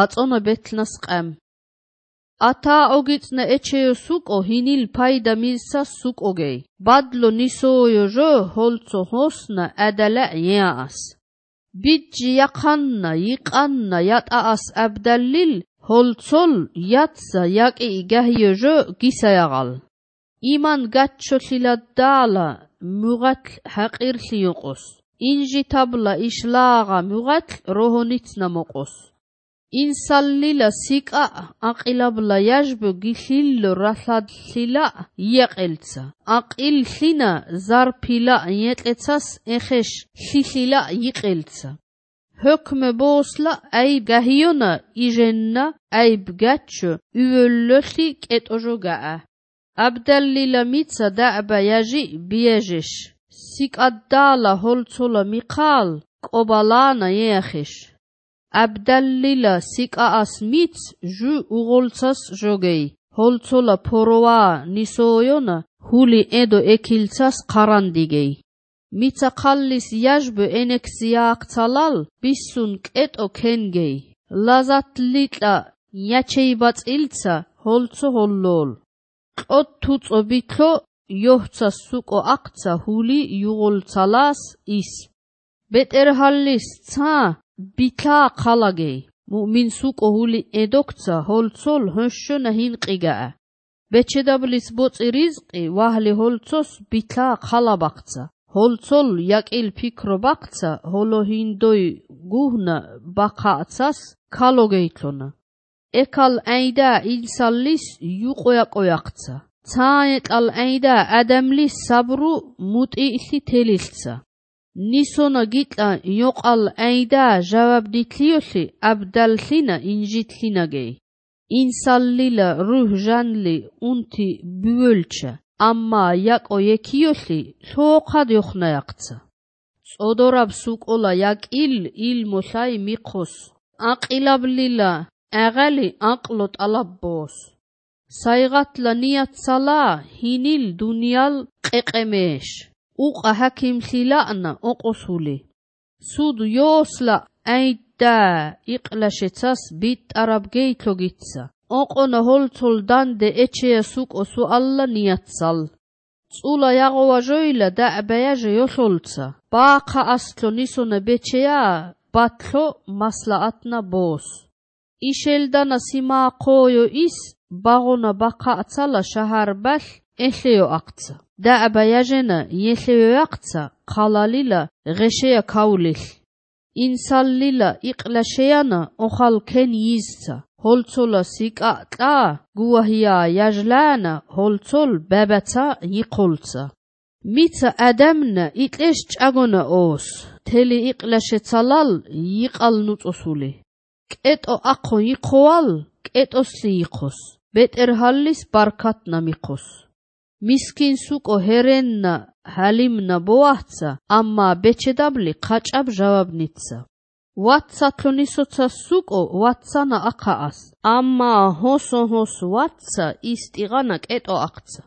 აწონა ბეთლნას ყემ. ათა ოგიწნე ეჩეო სუკო ჰინილ ფაიდა მილსა სუკოგეი. ბადლო ნისოოიო ჟო ჰოლცო ჰოსნა ადალა იაას. ბიჯი яқанна იყანნა ятаас აბდალილ ჰოლცოლ იაცა იაკი გაჰიო ჟო გისააღალ. იმან გაჩოლილა დალა მუღატ ჰაყირლი იყოს. ინჟი თაბლა იშლაღა მუღატ როჰონიცნა მოყოს. ინსალლილა სიკა აყილაბლა იაჟბო გიხილლო რასადლილა იაყელცა. აყილლინა ზარფილა იეტეცას ეხეშ ხილილა იყელცა. ჰოქმე ბოსლა აი გაჰიონა იჟენნა აი ბგაჩო უვოლლოხი კეტოჟოგაა. აბდალლილა მიცა დააბა იაჟი ბიეჟეშ. სიკადალა ჰოლცოლა მიყალ ყობალანა იახეშ. აბდალლილა სიკაას მიც ჟუ უღოლცას ჟოგეი. ჰოლცოლა ფოროა ნისოოიონა ჰული ედო ეკილცას ყარანდიგეი. მიცა ყალლის იაჟბო ენექსიააქცალალ ბისუნ კეტო ქენგეი. ლაზატლიტა ნიაჩეიბაწილცა ჰოლცო ჰოლლოლ. ყოთ თუწო ბითლო იოჰცა სუკო აქცა ჰული იუღოლცალას ის. ბეტერჰალლის ცა ბითლა ყალაგეი. მუმინ სუკო ჰული ედოქცა ჰოლცოლ ჰოშონა ჰინყიგაა. ბეჩედაბლის ბოწი რიზყი ვაჰლი ჰოლცოს ბითლა ყალაბახცა. ჰოლცოლ იაკილ ფიქრო ბახცა ჰოლო ჰინდოი გუჰნა ბახაცას ქალოგეითლონა. ეკალ აიდა ინსალლის იუყოიაყოიახცა. ცაეტალ აიდა ადამლის საბრუ მუტიილი თელილცა. ნისონა გიტლა იოყალ აიდა ჟავაბდითლიოხი აბდალლინა ინჟითლინაგეი. ინსალლილა რუჰ ჟანლი უნთი ბუველჩა. ამმა იაკო ეკიოხი ლოყად იოხნაიახცა. წოდორაბ სუკოლა იაკილ ილმოშაი მიყოს. აყილაბლილა აღალი აყლო ტალაბბოს. საიღატლა ნიაცალა ჰინილ დუნიალ ყეყემეშ. უყა ჰაკიმლილანა ოყოსული. სუდ იოსლა აიდა იყლაშეცას ბიტარაბგეითლოგიცა. ოყონა ჰოლცოლ დანდე ეჩეა სუკო სუალლა ნიაცალ. წულა იაღოვა ჟოილა დააბაიაჟე იოშოლცა. ბაყა ასლო ნისონა ბეჩეა ბათლო მასლაატნა ბოს. იშელდანა სიმაყოიო ის ბაღონა ბაყაცალა შაჰარბალ ეხლიო აქცა. დააბაიაჟენა იეხლიო აქცა ყალალილა ღეშეა ქაულილ. ინსალლილა იყლაშეანა ოხალ ქენ იზცა. ჰოლცოლა სიკატა გუაჰია იაჟლანა ჰოლცოლ ბაბაცა იყოლცა. მიცა ადამნა იტლეშ ჭაგონა ოს. თელი იყლაშეცალალ იყალ ნუწოსული. კეტო აყო იყოალ კეტოსლი იყოს. ბეტერჰალლის ბარქატნა მიყოს. მისკინ სუკო ჰერენნა ჰალიმნა ბოაჰცა ამმა ბეჩედაბლი ყაჭაბ ჟავაბნიცა. ვატსათლო ნისოცა სუკო ვატსანა აყაას. ამმა ჰოსო ვატსა ის ტიღანა კეტო აქცა.